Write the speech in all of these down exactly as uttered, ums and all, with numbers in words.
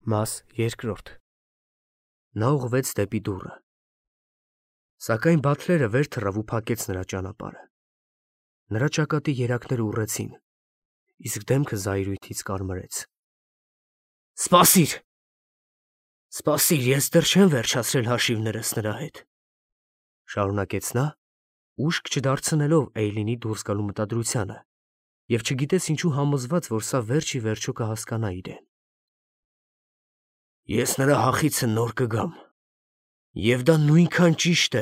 Մաս երկրորդ Նա ուղղվեց դեպի դուռը, սակայն Բաթլերը վեր թռավ ու փակեց նրա ճանապարհը։ Նրա ճակատի երակները ուռեցին, իսկ դեմքը զայրույթից կարմրեց։ Սպասիր, սպասիր, ես դեռ չեմ վերջացրել հաշիվներս նրա հետ, շարունակեց նա, ուշք չդարձնելով Էյլինի դուրս գալու մտադրությանը, և չգիտես ինչու համոզված, որ սա վերջ ի վերջո կհասկանա իրեն։ Ես նրա հախիցը նոր կգամ, և դա նույնքան ճիշտ է,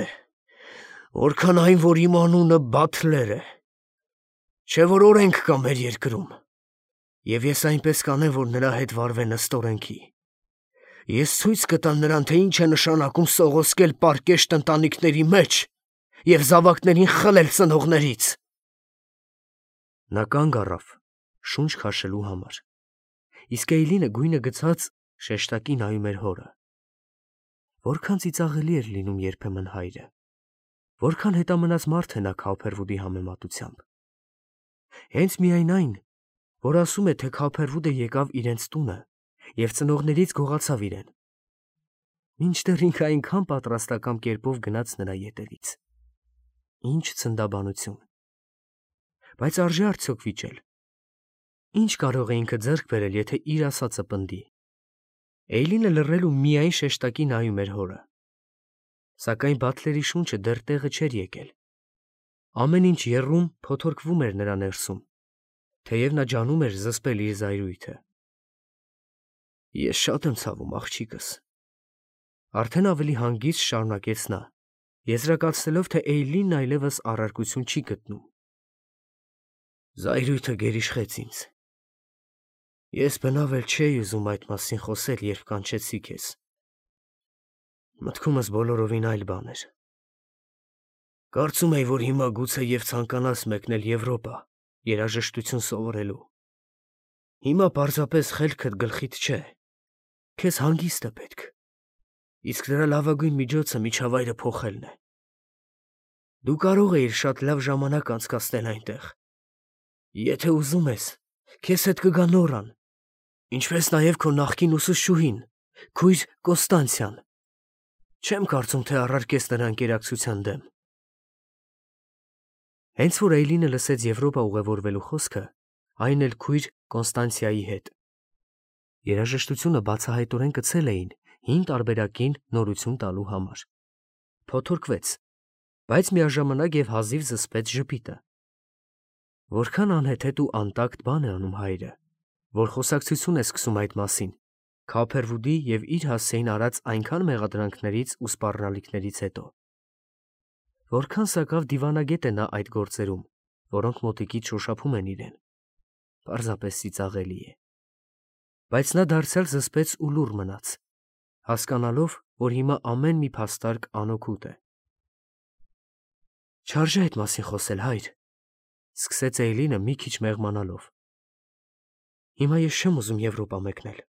որքան այն, որ իմ անունը Բաթլեր է, չէ՞ որ օրենք կա մեր երկրում, և ես այնպես կանեմ, որ նրա հետ վարվեն ըստ օրենքի։ Ես ցույց կտամ նրան, թե ինչ է նշանակում սողոսկել պարկեշտ ընտանիքների մեջ և զավակներին խլել ծնողներից։ Նա կանգ առավ, շունչ քաշելու համար, իսկ Էյլինը գույնը գցած շեշտակի նայում էր հորը։ Որքան ծիծաղելի էր լինում երբեմն հայրը, որքան հետամնաց մարդ է նա Քափերվուդի համեմատությամբ։ Հենց միայն այն, որ ասում է, թե Քափերվուդը եկավ իրենց տունը և ծնողներից գողացավ իրեն, մինչդեռ ինքը այնքան պատրաստակամ կերպով գնաց նրա ետևից։ Ինչ ցնդաբանություն։ Բայց արժե՞ արդյոք վիճել։ Ինչ կարող է ինքը ձեռք բերել, եթե իր ասածը պնդի։ Էյլինը լռել ու միայն շեշտակի նայում էր հորը։ Սակայն Բաթլերի շունչը դեռ տեղը չէր եկել։ Ամեն ինչ եռում, փոթորկվում էր նրա ներսում, թեև նա ջանում էր զսպել իր զայրույթը։ Ես շատ եմ ցավում, աղջիկս, արդեն ավելի հանգիստ շարունակեց նա, եզրակացնելով, թե Էյլինն այլևս առարկություն չի գտնում։ Զայրույթը գերիշխեց ինձ։ Ես բնավ էլ չէի ուզում այդ մասին խոսել, երբ կանչեցի քեզ։ Մտքումս բոլորովին այլ բան էր։ Կարծում էի, որ հիմա գուցե և ցանկանաս մեկնել Եվրոպա, երաժշտություն սովորելու։ Հիմա պարզապես խելքդ գլխիդ չէ, քեզ հանգիստը պետք, իսկ դրա լավագույն միջոցը միջավայրը փոխելն է։ Դու կարող էիր շատ լավ ժամանակ անցկացնել այնտեղ։ Եթե ուզում ես, քեզ հետ կգա Նորան, ինչպես նաև քո նախկին ուսուցչուհին, քույր Կոստանցիան։ Չեմ կարծում, թե առարկես նրա ընկերակցության դեմ։ Հենց որ Էյլինը լսեց Եվրոպա ուղևորվելու խոսքը, այն էլ քույր Կոնստանցիայի հետ, երաժշտությունը բացահայտորեն կցել էին հին տարբերակին նորություն տալու համար։ Փոթորկվեց, բայց միաժամանակ և հազիվ զսպեց ժպիտը։ Որքան անհեթեթ ու անտակտ բան է անում հայրը, որ խոսակցություն է սկսում այդ մասին, Քափերվուդի և իր հասցեին արած այնքան մեղադրանքներից ու սպառնալիքներից հետո։ Որքան սակավ դիվանագետ է նա այդ գործերում, որոնք մոտիկից շոշափում են իրեն։ Պարզապես ծիծաղելի է։ Բայց նա դարձյալ զսպեց ու լուռ մնաց, հասկանալով, որ հիմա ամեն մի փաստարկ անօգուտ է։ Չարժե այդ մասին խոսել, հայր, սկսեց Էյլինը մի քիչ մեղմանալով։ Հիմա ես չեմ ուզում Եվրոպա մեկնել,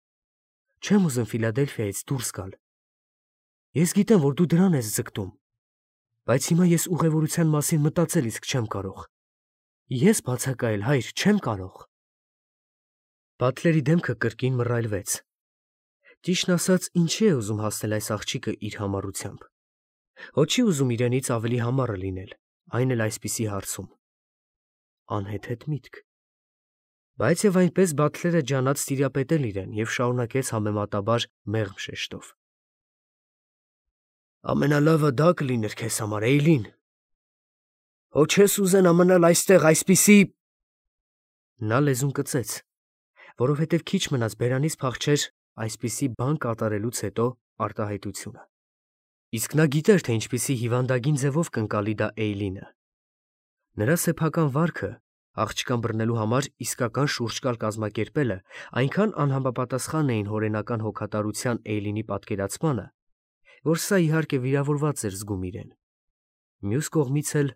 չեմ ուզում Ֆիլադելֆիայից դուրս գալ։ Ես գիտեմ, որ դու դրան ես ձգտում, բայց հիմա ես ուղևորության մասին մտածել իսկ չեմ կարող։ Ես բացակայել, հայր, չեմ կարող։ Բաթլերի դեմքը կրկին մռայլվեց։ Ճիշտն ասած, ինչի է ուզում հասնել այս աղջիկը իր համառությամբ։ Հո չի ուզում իրենից ավելի համառը լինել, այն էլ այսպիսի հարցում։ Անհեթեթ միտք։ Բայց և այնպես Բաթլերը ջանաց տիրապետել իրեն և շարունակեց համեմատաբար մեղմ շեշտով. Ամենալավը դա կլիներ քեզ համար, Էյլին։ Հո չես ուզենա մնալ այստեղ այսպիսի… Նա լեզուն կծեց, որովհետև քիչ մնաց բերանից փախչեր այսպիսի բան կատարելուց հետո արտահայտությունը։ Իսկ նա գիտեր, թե ինչպիսի հիվանդագին ձևով կընկալի դա Էյլինը։ Նրա սեփական վարքը աղջկան բռնելու համար իսկական շուրջկալ կազմակերպելը այնքան անհամապատասխան էին հորենական հոգատարության Էյլինի պատկերացմանը, որ սա իհարկե վիրավորված էր զգում իրեն։ Մյուս կողմից էլ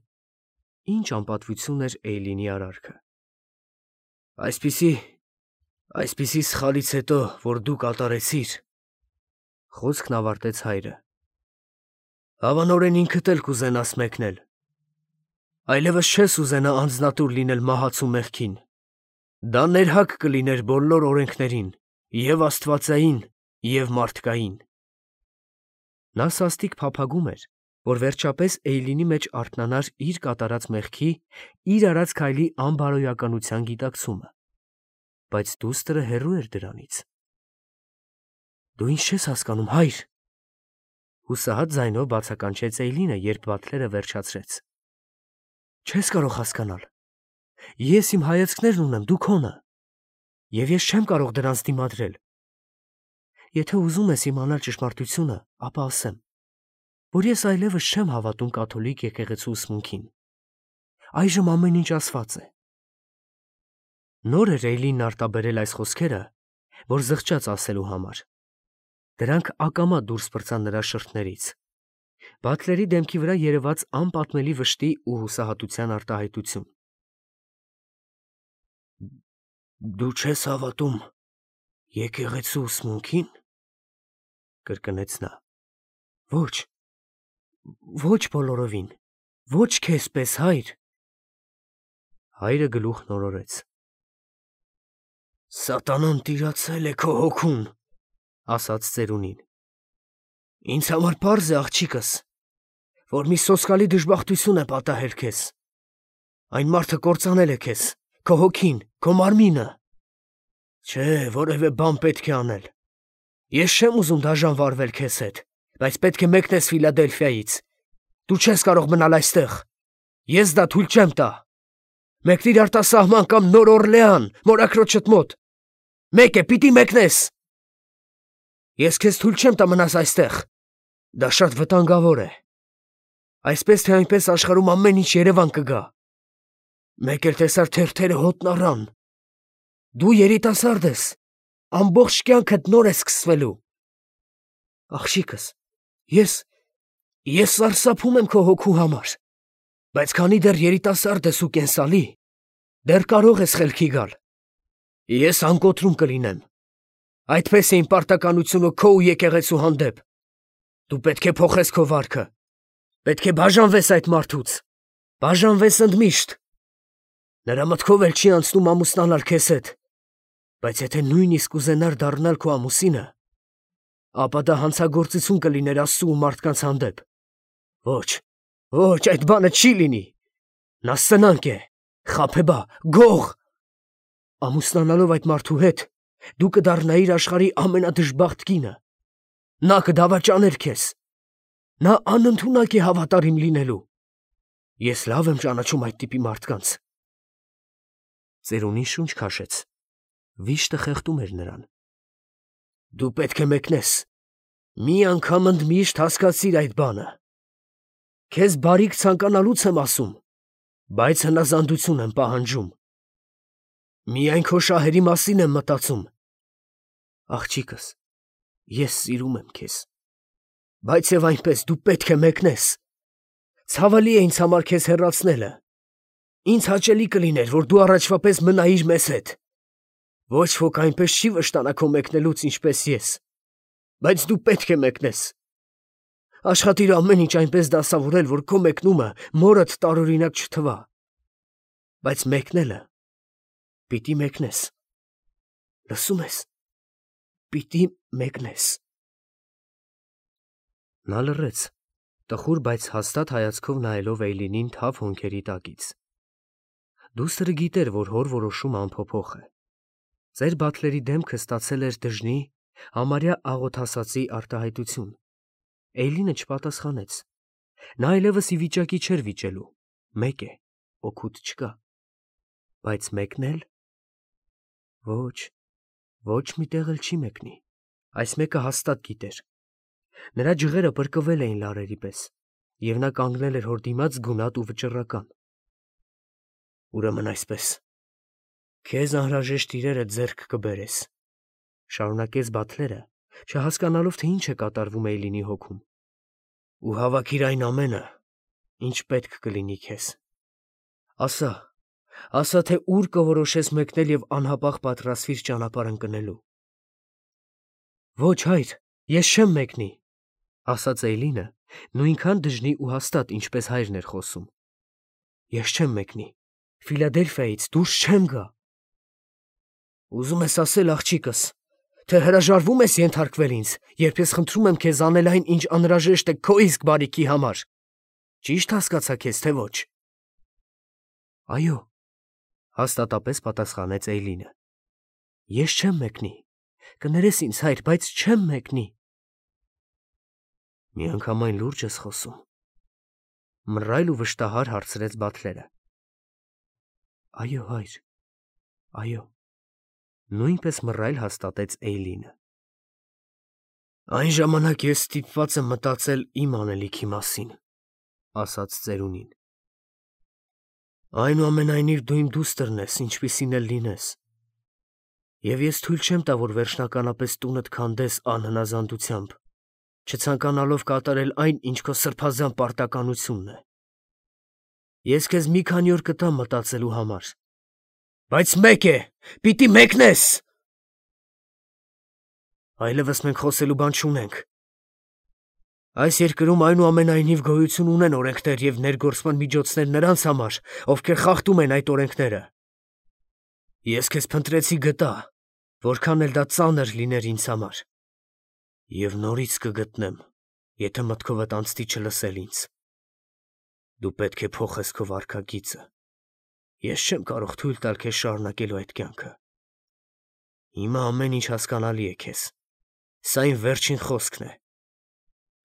ինչ անպատվություն էր Էյլինի արարքը։ Այսպիսի… այսպիսի սխալից հետո, որ դու կատարեցիր, խոսքն ավարտեց հայրը, հավանորեն ինքդ էլ կուզենաս մեկնել։ Այլևս չես ուզենա անձնատուր լինել մահացու մեղքին։ Դա ներհակ կլիներ բոլոր օրենքներին և աստվածային, և մարդկային։ Նա սաստիկ փափագում էր, որ վերջապես Էյլինի մեջ արթնանար իր կատարած մեղքի, իր արած քայլի անբարոյականության գիտակցումը, բայց դուստրը հեռու էր դրանից։ Դու ինչ չես հասկանում, հայր, հուսահատ ձայնով բացականչեց Էյլինը, երբ Բաթլերը վերջացրեց։ Չես կարող հասկանալ։ Ես իմ հայացքներն ունեմ, դու քոնը, և ես չեմ կարող դրանց դիմադրել։ Եթե ուզում ես իմանալ ճշմարտությունը, ապա ասեմ, որ ես այլևս չեմ հավատում կաթոլիկ եկեղեցու ուսմունքին։ Այժմ ամեն ինչ ասված է։ Նոր էր Էյլինն արտաբերել այս խոսքերը, որ զղջաց ասելու համար։ Դրանք ակամա դուրս պրծան նրա շրթներից։ Բաթլերի դեմքի վրա երևաց անպատմելի վշտի ու հուսահատության արտահայտություն։ Դու չես հավատում եկեղեցու ուսմունքին, կրկնեց նա։ Ոչ, ոչ բոլորովին, ոչ քեզ պես, հայր։ Հայրը գլուխ նորորեց։ Սատանան տիրացել է քո հոգուն, ասաց ծերունին։ Ինձ համար պարզ է, աղջիկս, որ մի սոսկալի դժբախտություն է պատահել քեզ։ Այն մարդը կործանել է քեզ, քո հոգին, քո մարմինը։ Չէ, որևէ բան պետք է անել։ Ես չեմ ուզում դաժան վարվել քեզ հետ, բայց պետք է մեկնես Ֆիլադելֆիայից։ Դու չես կարող մնալ այստեղ։ Ես դա թույլ չեմ տա։ Մեկնիր արտասահման կամ Նոր Օրլեան, մորաքրոջդ մոտ։ Մեկ է, պիտի մեկնես։ Ես քեզ թույլ չեմ տա մնաս այստեղ։ Դա շատ վտանգավոր է։ Այսպես թե այնպես աշխարհում ամեն ինչ Երևան կգա։ Մեկ էլ տեսար թերթերը հոտն առան։ Դու երիտասարդ ես, ամբողջ կյանքդ նոր է սկսվելու։ Աղջիկս, ես, ես սարսափում եմ քո հոգու համար, բայց քանի դեռ երիտասարդ ես ու կենսալի, դեռ կարող ես խելքի գալ։ Ես անկոտրում կլինեմ։ Այդպես է իմ պարտականությունը քո ու եկեղեցու հանդեպ։ Դու պետք է փոխես քո վարքը։ Պետք է բաժանվես այդ մարդուց։ Բաժանվես ընդմիշտ։ Նրա մտքով էլ չի անցնում ամուսնանալ քեզ հետ։ Բայց եթե նույնիսկ ուզենար դառնալ քո ամուսինը, ապա դա հանցագործություն կլիներ Աստծու ու մարդկանց հանդեպ։ Ոչ, ոչ, այդ բանը չի լինի։ Նա սնանկ է, խաբեբա, գող։ Ամուսնանալով այդ մարդու հետ, դու կդառնայիր աշխարհի ամենադժբախտ կինը։ Նա կդավաճաներ քեզ։ Նա անընդունակ է հավատարիմ լինելու։ Ես լավ եմ ճանաչում այդ տիպի մարդկանց։ Ծերունին շունչ քաշեց։ Վիշտը խեղդում էր նրան։ Դու պետք է մեկնես։ Մի անգամ ընդմիշտ հասկացիր այդ բանը։ Քեզ բարիք ցանկանալուց եմ ասում, բայց հնազանդություն եմ պահանջում։ Միայն քո շահերի մասին եմ մտածում։ Աղջիկս, ես սիրում եմ քեզ։ Բայց եւ այնպես դու պետք է մեկնես։ Ցավալի է ինձ համար քեզ հեռացնելը։ Ինձ հաճելի կլիներ, որ դու առաջվա պես մնայիր մեզ հետ։ Ոչ ոք այնպես չի վշտանա քո մեկնելուց, ինչպես ես։ Բայց դու պետք է մեկնես։ Աշխատիր ամեն ինչ այնպես դասավորել, որ քո մեկնումը մորդ տարօրինակ չթվա։ Բայց մեկնելը պիտի մեկնես։ Լսում ես։ Պիտի մեկնես։ Նա լռեց, տխուր, բայց հաստատ հայացքով նայելով Էյլինին թավ հոնքերի տակից։ Դուստրը գիտեր, որ հոր որոշումը անփոփոխ է։ Ծեր Բաթլերի դեմքը ստացել էր դժնի, համարյա աղոթասացի արտահայտություն։ Էյլինը չպատասխանեց։ Նա այլևս ի վիճակի չէր վիճելու։ Մեկ է, օգուտ չկա։ Բայց մեկնել։ Ոչ, ոչ մի տեղ էլ չի մեկնի։ Այս մեկը հաստատ գիտեր։ Նրա ջղերը պրկվել էին լարերի պես, և նա կանգնել էր հոր դիմաց գունատ ու վճռական։ Ուրեմն այսպես, քեզ անհրաժեշտ իրերը ձեռք կբերես, շարունակեց Բաթլերը, չհասկանալով, թե ինչ է կատարվում Էյլինի հոգում, ու հավաքիր այն ամենը, ինչ պետք կլինի քեզ։ Ասա, ասա, թե ուր կորոշես մեկնել և անհապաղ պատրաստվիր ճանապարհ ընկնելու։ Ոչ, հայր, ես չեմ մեկնի, ասաց Էյլինը, նույնքան դժնի ու հաստատ, ինչպես հայրն էր խոսում։ Ես չեմ մեկնի, Ֆիլադելֆիայից դուրս չեմ գա։ Ուզում ես ասել, աղջիկս, թե հրաժարվում ես ենթարկվել ինձ, երբ ես խնդրում եմ քեզ անել այն, ինչ անհրաժեշտ է քո իսկ բարիքի համար։ Ճի՞շտ հասկացա քեզ, թե ոչ։ Այո, հաստատապես պատասխանեց Էյլինը։ Ես չեմ մեկնի։ Կներես ինձ, հայր, բայց չեմ մեկնի։ Միանգամայն լուրջ ես խոսում։ Մռայլ ու վշտահար հարցրեց Բաթլերը։ Այո, հայր, այո, նույնպես մռայլ հաստատեց Էյլինը։ Այն ժամանակ ես ստիպված եմ մտածել իմ անելիքի մասին, ասաց ծերունին։ Այնուամենայնիվ դու իմ դուստրն ես, ինչպիսին էլ լինես։ Եվ ես թույլ չեմ տա, որ վերջնականապես տունդ քանդես անհնազանդությամբ, չցանկանալով կատարել այն, ինչ քո սրբազան պարտականությունն է։ Ես քեզ մի քանի օր կտամ մտածելու համար, բայց մեկ է, պիտի մեկնես։ Այլևս մենք խոսելու բան չունենք։ Այս երկրում այնուամենայնիվ գոյություն ունեն օրենքներ և ներգործման միջոցներ նրանց համար, ովքեր խախտում են այդ օրենքները։ Ես քեզ փնտրեցի գտա, որքան էլ դա ծանր լիներ ինձ համար։ Եվ նորից կգտնեմ, եթե մտքովդ անցնի չլսել ինձ։ Դու պետք է փոխես քո վարքագիծը։ Ես չեմ կարող թույլ տալ քեզ շարունակելու այդ կյանքը։ Հիմա ամեն ինչ հասկանալի է քեզ։ Սա իմ վերջին խոսքն է։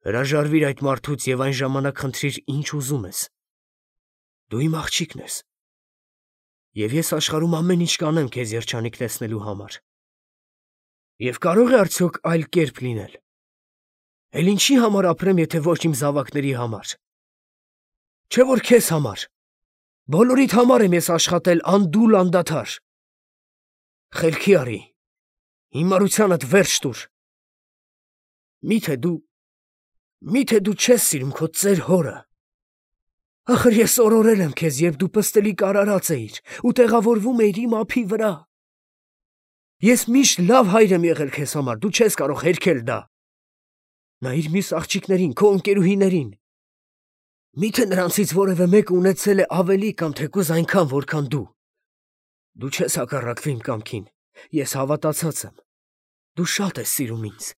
Հրաժարվիր այդ մարդուց և այն ժամանակ խնդրիր, ինչ ուզում ես։ Դու իմ աղջիկն ես։ Եվ ես աշխարհում ամեն ինչ կանեմ քեզ երջանիկ տեսնելու համար։ Եվ կարող է արդյոք այլ կերպ լինել։ Էլ ինչի համար ապրեմ, եթե ոչ իմ զավակների համար։ Չէ՞ որ քեզ համար։ Բոլորիդ համար եմ ես աշխատել անդուլ անդադար։ Խելքի արի։ Հիմարությանդ վերջ տուր։ Միթե դու Միթե դու չես սիրում քո ծեր հորը։ Ախր ես օրորել եմ քեզ, երբ դու պստլիկ արարած էիր ու տեղավորվում էիր իմ ափի վրա։ Ես միշտ լավ հայր եմ եղել քեզ համար, դու չես կարող հերքել դա։ Նայիր մյուս աղջիկներին, քո ընկերուհիներին։ Միթե նրանցից որևէ մեկը ունեցել է ավելի կամ թեկուզ այնքան, որքան դու։ Դու չես հակառակվի իմ կամքին, ես հավատացած եմ։ Դու շատ ես սիրում ինձ։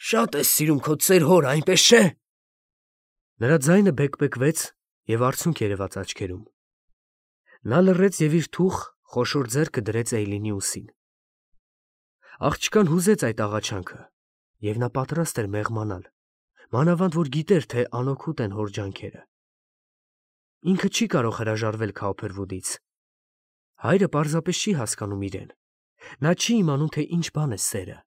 Շատ ես սիրում քո ծեր հորը, այնպես չէ։ Նրա ձայնը բեկբեկվեց և արցունք երևաց աչքերում։ Նա լռեց և իր թուխ, խոշոր ձեռքը դրեց Էյլինի ուսին։ Աղջկան հուզեց այդ աղաչանքը, և նա պատրաստ էր մեղմանալ, մանավանդ որ գիտեր, թե անօգուտ են հոր ջանքերը։ Ինքը չի կարող հրաժարվել Քաուփերվուդից։ Հայրը պարզապես չի հասկանում իրեն։ Նա չի իմանում, թե ինչ բան է սերը։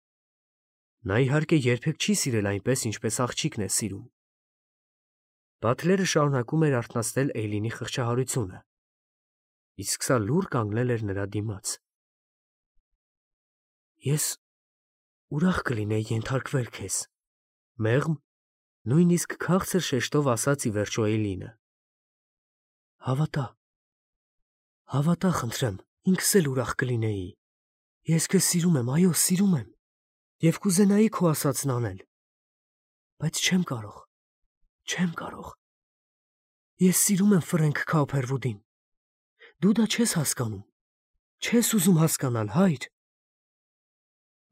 Նա իհարկե երբեք չի սիրել այնպես, ինչպես աղջիկն է սիրում։ Բաթլերը շարունակում էր արթնացնել Էյլինի խղճահարությունը, իսկ սա լուռ կանգնել էր նրա դիմաց։ Ես ուրախ կլինեի ենթարկվել քեզ, մեղմ, նույնիսկ քաղցր շեշտով ասաց ի վերջո Էյլինը։ Հավատա, հավատա, խնդրեմ, ինքս էլ ուրախ կլինեի։ Ես քեզ սիրում եմ, այո, սիրում եմ, և կուզենայի քո ասածն անել, բայց չեմ կարող, չեմ կարող։ Ես սիրում եմ Ֆրենք Քաուփերվուդին։ Դու դա չես հասկանում, չես ուզում հասկանալ, հայր։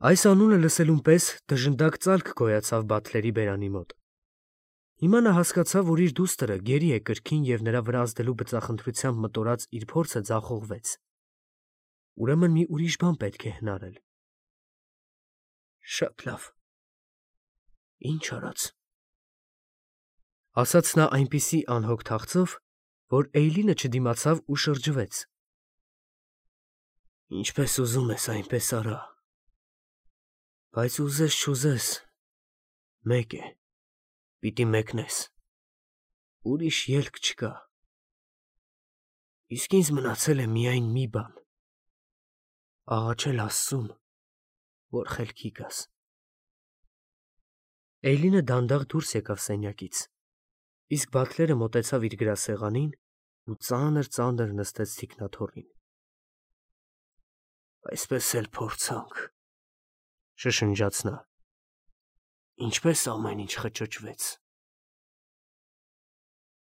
Այս անունը լսելուն պես դժնդակ ծալք գոյացավ Բաթլերի բերանի մոտ։ Հիմա նա հասկացավ, որ իր դուստրը գերի է կրքին և նրա վրա ազդելու բծախնդրությամբ մտորած իր փորձը ձախողվեց։ Ուրեմն մի ուրիշ բան պետք է հնարել։ Շատ լավ։ Ինչ արած։ Ասաց նա այնպիսի անհոգ թախծով, որ Էյլինը չդիմացավ ու շրջվեց։ Ինչպես ուզում ես, այնպես արա։ Բայց ուզես չուզես, մեկ է, պիտի մեկնես։ Ուրիշ ելք չկա։ Իսկ ինձ մնացել է միայն մի բան. աղաչել Աստծուն, որ խելքի գաս։ Էյլինը դանդաղ դուրս եկավ սենյակից, իսկ Բաթլերը մոտեցավ իր գրասեղանին ու ծանր-ծանր նստեց թիկնաթոռին։ Այսպես էլ փորձանք, շշնջաց նա, ինչպես ամեն ինչ խճճվեց։